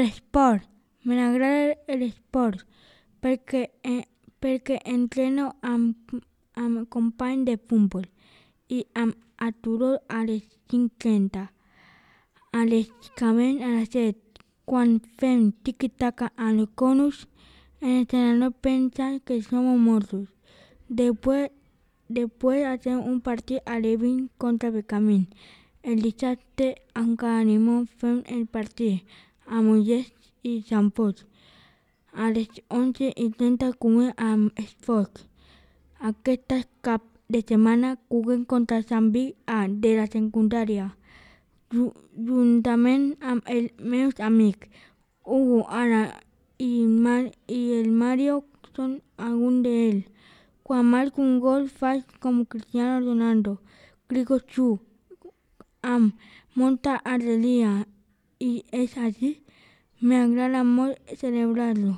l'esport. M'agrada l'esport perquè entreno amb companys de futbol i m'aturo a les 5:30. A les acabem a les 7. Quan fem tiqui-taca amb els conus, l'entrenador pensa que som mortos. Després hacem un partit a les 20 contra Becamín. El dissabte encara animem fem el partit a Mollet i Sant Fost. A les 11:30 comem amb Esforç. Aquest cap de setmana juguem contra Sant Vit A de la secundària, juntament amb els meus amics Hugo, Ana i el Mario són alguns d'ells. Quan marco un gol faig com Cristiano Ronaldo, crido xut amb molta alegria i és així. M'agrada molt celebrar-lo.